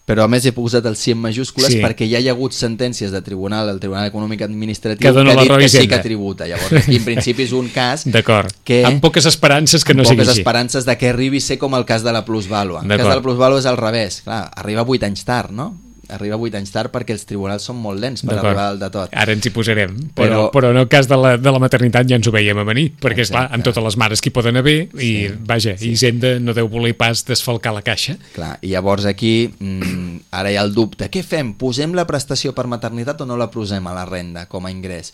però a més he posat el sí en majúscules Sí. perquè ja hi ha hagut sentències de tribunal, del Tribunal Econòmic Administratiu, Que dona ha la dit raó a que sí Hisenda. que tributa. Llavors, aquí en principi és un cas D'acord. que... Amb poques esperances que no amb sigui poques així. esperances de que arribi a ser com el cas de la plusvàlua. El cas de la plusvàlua és al revés. Clar, arriba vuit anys tard, no? Arriba vuit anys tard perquè els tribunals són molt lents per arribar al de tot. Ara ens hi posarem, però, Però- però en el cas de la, de la maternitat ja ens ho veiem a venir, perquè és clar, Exacte. amb totes les mares que hi poden haver, i Sí, vaja, sí. Hisenda no deu voler pas desfalcar la caixa. Clar, i llavors aquí mm, ara hi ha el dubte. Què fem? Posem la prestació per maternitat o no la posem a la renda com a ingrés?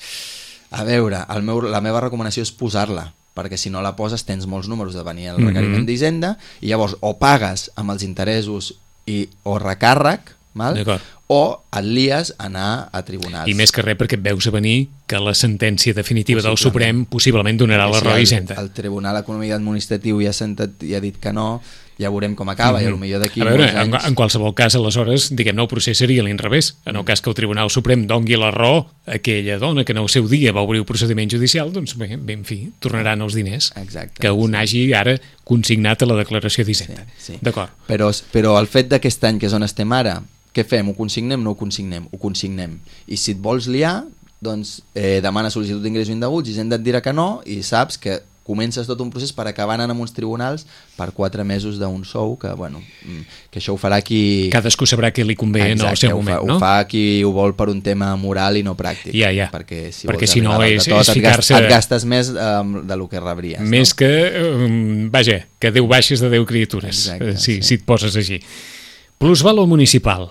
A veure, el meu, la meva recomanació és posar-la, perquè si no la poses tens molts números de venir el requeriment Mhm. d'Hisenda, i llavors o pagues amb els interessos i, o recàrrec, val? D'acord. O et lies a anar a tribunals. I més que res perquè et veus a venir que la sentència definitiva del Possiblement. Suprem possiblement donarà la Si raó a el, Hisenda. el Tribunal Econòmic Administratiu ja ha, sentat, ja ha dit que no, ja veurem com acaba, mm -hmm. i potser d'aquí A veure, molts en, anys... en qualsevol cas, aleshores, diguem-ne, el procés seria a l'inrevés. En el cas que el Tribunal Suprem dongui la raó a aquella dona que en el seu dia va obrir un procediment judicial, doncs bé, bé en fi, tornaran els diners Exacte, que un sí. hagi ara consignat a la declaració d'Hisenda. Sí, sí. D'acord. Però, però el fet d'aquest any, que és on estem ara, què fem? Ho consignem? No ho consignem? Ho consignem. I si et vols liar, doncs eh, demana sol·licitud d'ingressos indeguts, Hisenda et dirà que no, i saps que comences tot un procés per acabar anant a uns tribunals per quatre mesos d'un sou, que, bueno, que això ho farà qui... Cadascú sabrà què li convé Exacte, en el seu ho moment, fa, no? Ho fa qui ho vol per un tema moral i no pràctic. Ja, ja. Perquè si, Perquè vols si no arribar dalt és- de tot, és et gastes, ficar-se- et gastes més eh, de lo que rebries. Més no? que, um, vaja, que Déu baixes de Déu criatures, Exacte, eh, si, sí. si et poses així. Plusvàlua municipal.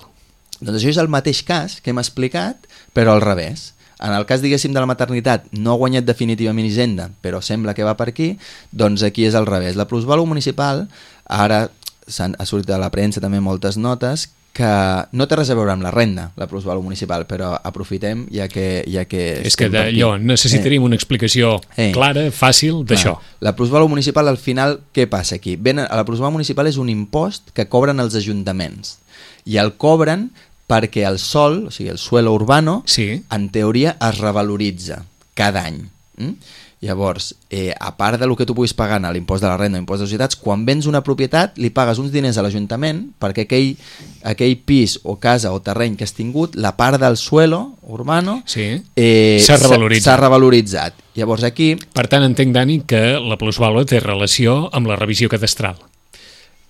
Doncs això és el mateix cas que hem explicat, però al revés. En el cas, diguéssim, de la maternitat, no ha guanyat definitivament Hisenda, però sembla que va per aquí, doncs aquí és al revés. La plusvàlua municipal, ara s'han, ha sortit a la premsa també moltes notes, que no té res a veure amb la renda, la plusvàlua municipal, però aprofitem ja que, ja que És que estem per aquí. d'allò necessitaríem una explicació Eh. clara, fàcil, d'això. Clar, la plusvàlua municipal, al final, què passa aquí? Ben, la plusvàlua municipal és un impost que cobren els ajuntaments, i el cobren perquè el sòl, o sigui, el suelo urbano, Sí. en teoria es revaloritza cada any. Mm? Llavors, eh, a part del que tu puguis pagar a l'impost de la renda o impost de societats, quan vens una propietat li pagues uns diners a l'Ajuntament perquè aquell, aquell pis o casa o terreny que has tingut, la part del suelo urbano Sí. eh, S'ha revaloritzat. s'ha revaloritzat. Llavors aquí... Per tant, entenc, Dani, que la plusvàlua té relació amb la revisió cadastral.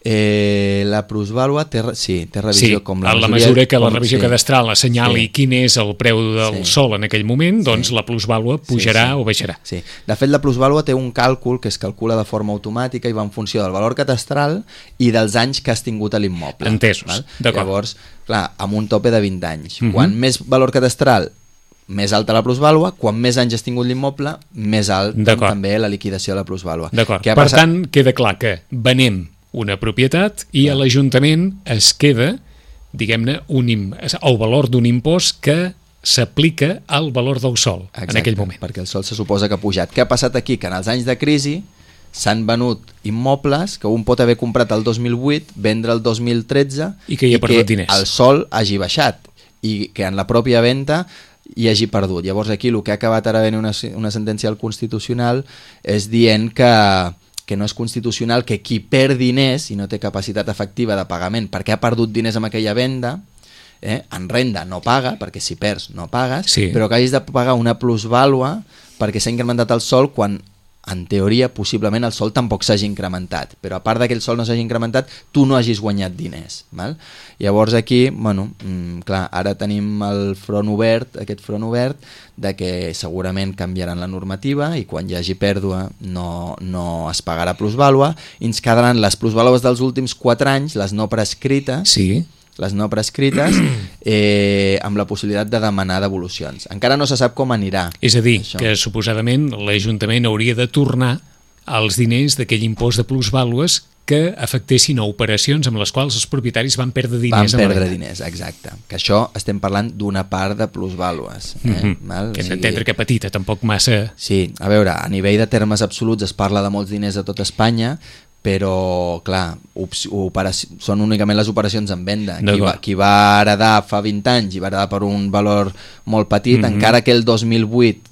Eh, la plusvàlua té, sí, té revisió Sí, com la en la majoria- mesura que la com- revisió sí. cadastral assenyali Sí. quin és el preu del Sí. sol en aquell moment, doncs Sí. la plusvàlua pujarà Sí, sí. o baixarà. Sí. De fet, la plusvàlua té un càlcul que es calcula de forma automàtica i va en funció del valor catastral i dels anys que has tingut a l'immoble. Entesos, val? d'acord. Llavors, clar, amb un tope de vint anys. Mhm. Quan més valor catastral, més alta la plusvàlua, quan més anys has tingut l'immoble, més alt D'acord. també la liquidació de la plusvàlua. D'acord. Què ha Per passat? tant, queda clar que venem una propietat i a l'Ajuntament es queda, diguem-ne, un im- el valor d'un impost que s'aplica al valor del sòl. Exacte, en aquell moment. perquè el sol se suposa que ha pujat. Què ha passat aquí? Que en els anys de crisi s'han venut immobles que un pot haver comprat el dos mil vuit, vendre el dos mil tretze I que hi ha perdut diners. el sol hagi baixat i que en la pròpia venda hi hagi perdut. Llavors aquí el que ha acabat ara venint una, una sentència al Constitucional és dient que que no és constitucional que qui perd diners i no té capacitat efectiva de pagament perquè ha perdut diners amb aquella venda, eh, en renda no paga, perquè si perds no pagues, Sí. però que hagis de pagar una plusvàlua perquè s'ha incrementat el sol quan en teoria possiblement el sol tampoc s'hagi incrementat, però a part que el sol no s'hagi incrementat tu no hagis guanyat diners, val? Llavors aquí, bueno, mm, clar, ara tenim el front obert, aquest front obert de que segurament canviaran la normativa i quan hi hagi pèrdua no, no es pagarà plusvàlua i ens quedaran les plusvàlues dels últims quatre anys, les no prescrites, Sí. les no prescrites, eh, amb la possibilitat de demanar devolucions. Encara no se sap com anirà. És a dir, això. que suposadament l'Ajuntament hauria de tornar els diners d'aquell impost de plusvàlues que afectessin a operacions amb les quals els propietaris van perdre Van diners. en la perdre venda. diners, exacte. Que això estem parlant d'una part de plusvàlues. Eh? Mhm. Val? Que O hem sigui, d'entendre que petita, tampoc massa... Sí, a veure, a nivell de termes absoluts es parla de molts diners a tot Espanya, però, clar, operaci- són únicament les operacions en venda. Qui va, qui va heredar fa vint anys i va heredar per un valor molt petit, mm-hmm. encara que el dos mil vuit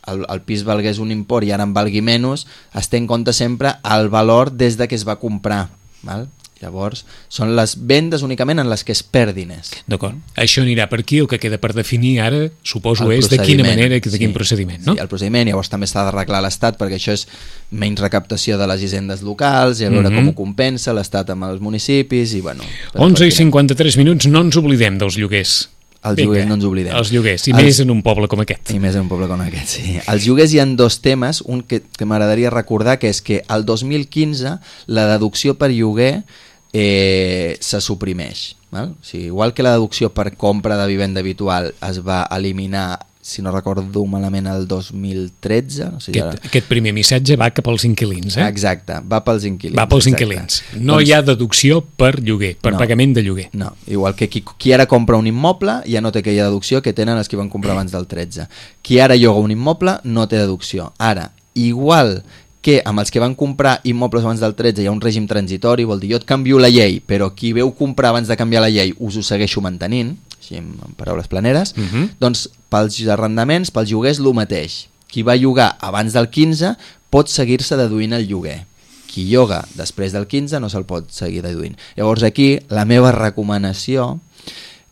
el, el pis valgués un import i ara en valgui menys, es té en compte sempre el valor des de que es va comprar. Val? Llavors, són les vendes únicament en les que es perd diners. D'acord. Això anirà per aquí, el que queda per definir ara, suposo, El és de quina procediment, manera i de quin sí, procediment, no? Sí, el procediment, llavors també s'ha d'arreglar l'Estat perquè això és menys recaptació de les hisendes locals i a veure Mhm. com ho compensa l'Estat amb els municipis i bueno... però onze i perquè cinquanta-tres minuts, no ens oblidem dels lloguers. Els Vinga, lloguers no ens oblidem. Els lloguers, i Els- més en un poble com aquest. I més en un poble com aquest, sí. Els lloguers hi ha dos temes, un que, que m'agradaria recordar, que és que el dos mil quinze la deducció per lloguer eh, se suprimeix. Val? O sigui, igual que la deducció per compra de vivenda habitual es va eliminar, si no recordo malament, el dos mil tretze. No sé si Aquest, aquest primer missatge va cap als inquilins, eh? Exacte, va pels inquilins. Va pels exacte. inquilins. No Doncs, hi ha deducció per lloguer, per No. pagament de lloguer. No, igual que qui, qui ara compra un immoble ja no té aquella deducció que tenen els que van comprar abans del tretze. Qui ara lloga un immoble no té deducció. Ara, igual que amb els que van comprar immobles abans del tretze hi ha un règim transitori, vol dir jo et canvio la llei, però qui veu comprar abans de canviar la llei us ho segueixo mantenint, així en, en paraules planeres, Uh -huh. doncs pels arrendaments, pels lloguers, el mateix. Qui va llogar abans del quinze pot seguir-se deduint el lloguer. Qui lloga després del quinze no se'l pot seguir deduint. Llavors aquí la meva recomanació,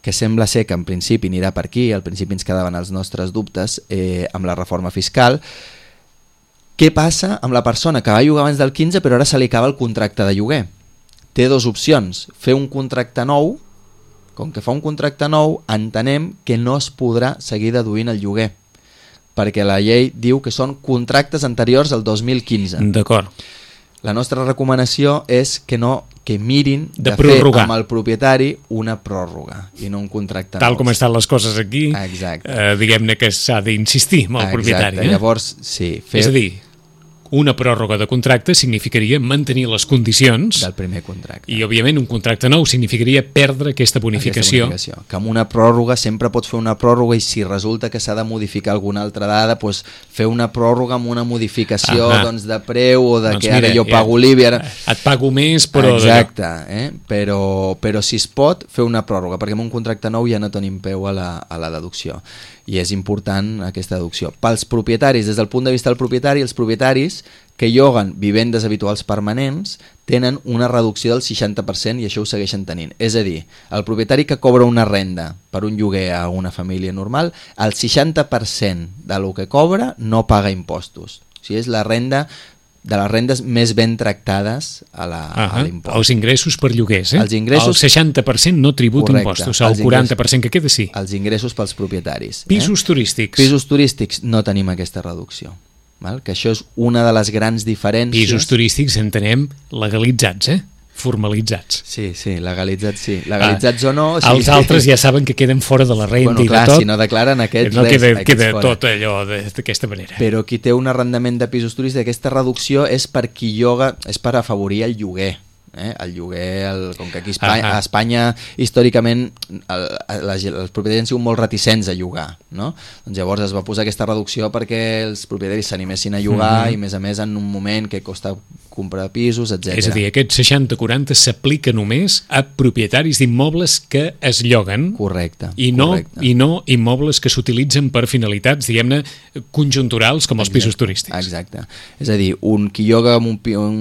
que sembla ser que en principi anirà per aquí, al principi ens quedaven els nostres dubtes eh, amb la reforma fiscal, què passa amb la persona que va llogar abans del quinze però ara se li acaba el contracte de lloguer? Té dues opcions, fer un contracte nou. Com que fa un contracte nou, entenem que no es podrà seguir deduint el lloguer, perquè la llei diu que són contractes anteriors al dos mil quinze. D'acord. La nostra recomanació és que no que mirin De de, prorrogar. fer amb el propietari una pròrroga i no un contracte Tal nou. com estan les coses aquí, Exacte. eh, diguem-ne que s'ha d'insistir amb el Exacte. propietari. Eh? Llavors, sí, fer És a dir, una pròrroga de contracte significaria mantenir les condicions del primer contracte. i, òbviament, un contracte nou significaria perdre aquesta bonificació. Aquesta bonificació. Que amb una pròrroga sempre pots fer una pròrroga i si resulta que s'ha de modificar alguna altra dada, doncs fer una pròrroga amb una modificació Ahà. doncs, de preu o de Doncs que ara mira, jo ja- pago l'I B I. Ara... Et pago més, però... Exacte, eh? però, però si es pot fer una pròrroga, perquè amb un contracte nou ja no tenim peu a la, a la deducció. I és important aquesta deducció. Pels propietaris, des del punt de vista del propietari, els propietaris que lloguen vivendes habituals permanents tenen una reducció del seixanta per cent i això ho segueixen tenint. És a dir, el propietari que cobra una renda per un lloguer a una família normal, el seixanta per cent de lo que cobra no paga impostos. O sigui, és la renda de les rendes més ben tractades a la- a l'impost. Els ingressos per lloguers, eh? Els ingressos- El seixanta per cent no tributa Correcte. impostos, el Els quaranta per cent que queda sí. Els ingressos pels propietaris. Pisos eh? turístics. Pisos turístics no tenim aquesta reducció. Val? Que això és una de les grans diferències. Pisos turístics entenem legalitzats, eh? Formalitzats. Sí, sí, legalitzats sí. Legalitzats ah, o no... Sí, els altres ja saben que queden fora de la renda bueno, i clar, de tot. si no declaren aquests, no res, queda, aquests queda fora. tot allò de- d'aquesta manera. Però qui té un arrendament de pisos turístics, aquesta reducció és per qui lloga, és per afavorir el lloguer. Eh? El lloguer, el, com que aquí a Espanya, a Espanya històricament el, les, els propietaris han sigut molt reticents a llogar, no? Doncs llavors es va posar aquesta reducció perquè els propietaris s'animessin a llogar mm-hmm. i a més a més en un moment que costa comprar pisos, etcètera. És a dir, aquest seixanta quaranta s'aplica només a propietaris d'immobles que es lloguen. Correcte. I no, correcte. I no immobles que s'utilitzen per finalitats, diguem-ne, conjunturals com els exacte, pisos turístics. Exacte. És a dir, un qui lloga un, un,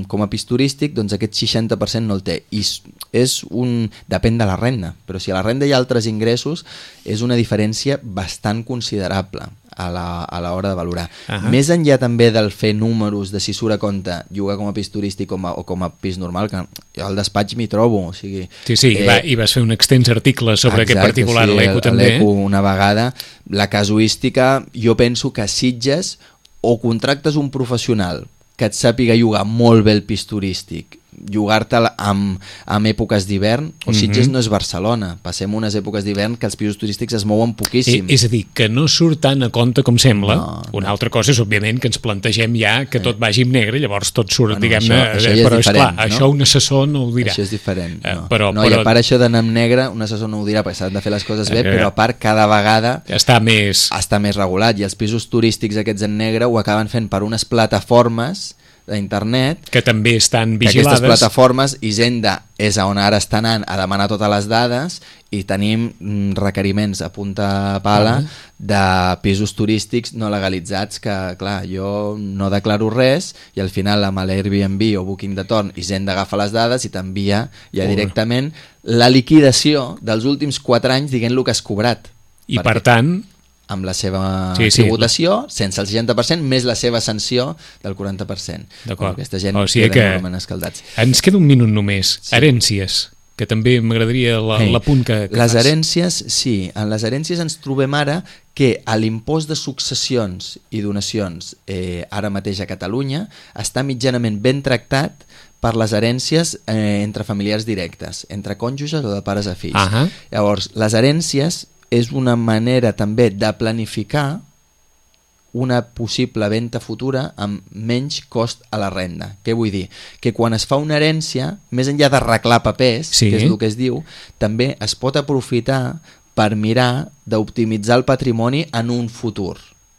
com a pis turístic, doncs aquest seixanta per cent no el té. I és un... depèn de la renda, però si a la renda hi ha altres ingressos, és una diferència bastant considerable a la, a l'hora de valorar. Uh-huh. Més enllà també del fer números de si surt a compte llogar com a pis turístic com a, o com a pis normal, que jo al despatx m'hi trobo. O sigui, sí, sí, eh, i, va, i vas fer un extens article sobre exacte, aquest particular sí, a l'Eco també. A l'Eco una vegada. La casuística, jo penso que a Sitges o contractes un professional que et sàpiga llogar molt bé el pis turístic, llogar-te'l amb, amb èpoques d'hivern, o Sitges mm-hmm. no és Barcelona, passem unes èpoques d'hivern que els pisos turístics es mouen poquíssim. I, és a dir, que no surt tant a compte com sembla. No, Una no. altra cosa és, òbviament, que ens plantegem ja que sí. tot vagi en negre, llavors tot surt, bueno, diguem-ne, això, això ja però és clar, no? això un assessor no ho dirà. Això és diferent, no. Eh, però, no però... I a part això d'anar en negre, un assessor no ho dirà perquè s'han de fer les coses bé, eh, però a part cada vegada està més... està més regulat, i els pisos turístics aquests en negre ho acaben fent per unes plataformes d'internet que també estan vigilades. Que aquestes plataformes, Hisenda és on ara està anant a demanar totes les dades, i tenim requeriments a punta pala uh -huh. de pisos turístics no legalitzats que, clar, jo no declaro res i al final amb l'Airbnb o Booking de torn Hisenda agafa les dades i t'envia ja directament la liquidació dels últims quatre anys dient el que has cobrat. I perquè... per tant... amb la seva sí, sí, tributació, sense el seixanta per cent, més la seva sanció del quaranta per cent. D'acord. Aquesta gent o sigui queda que escaldats. Ens queda un minut només. Sí. Herències, que també m'agradaria l'apunt que, que les fas. herències, sí. En les herències ens trobem ara que a l'impost de successions i donacions eh, ara mateix a Catalunya està mitjanament ben tractat per les herències eh, entre familiars directes, entre cònjuges o de pares a fills. Uh-huh. Llavors, les herències és una manera també de planificar una possible venda futura amb menys cost a la renda. Què vull dir? Que quan es fa una herència, més enllà d'arreglar papers, sí. que és el que es diu, també es pot aprofitar per mirar d'optimitzar el patrimoni en un futur.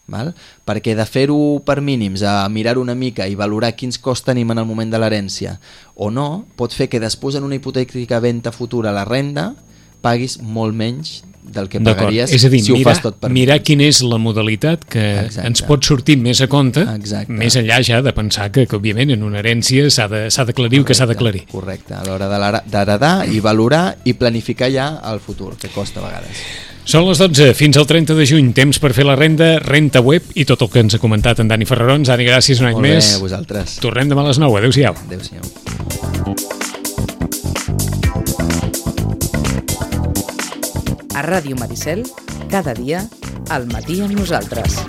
Val? Perquè de fer-ho per mínims, a mirar una mica i valorar quins costs tenim en el moment de l'herència o no, pot fer que després en una hipotètica venda futura a la renda paguis molt menys del que pagaries és a dir, si ho mirar, fas tot per mirar quina és la modalitat que Exacte. ens pot sortir més a compte. Exacte. Més enllà ja de pensar que, que òbviament en una herència s'ha d'aclarir el que s'ha d'aclarir. Correcte, a l'hora d'heredar i valorar i planificar ja el futur, que costa a vegades. Són les dotze, fins al trenta de juny, temps per fer la renda, renta web i tot el que ens ha comentat en Dani Ferrarons. Dani, gràcies un any Molt més. Molt bé, a vosaltres. Tornem demà a les nou, adéu-siau. Adéu-siau. A Ràdio Maricel, cada dia, al matí amb nosaltres.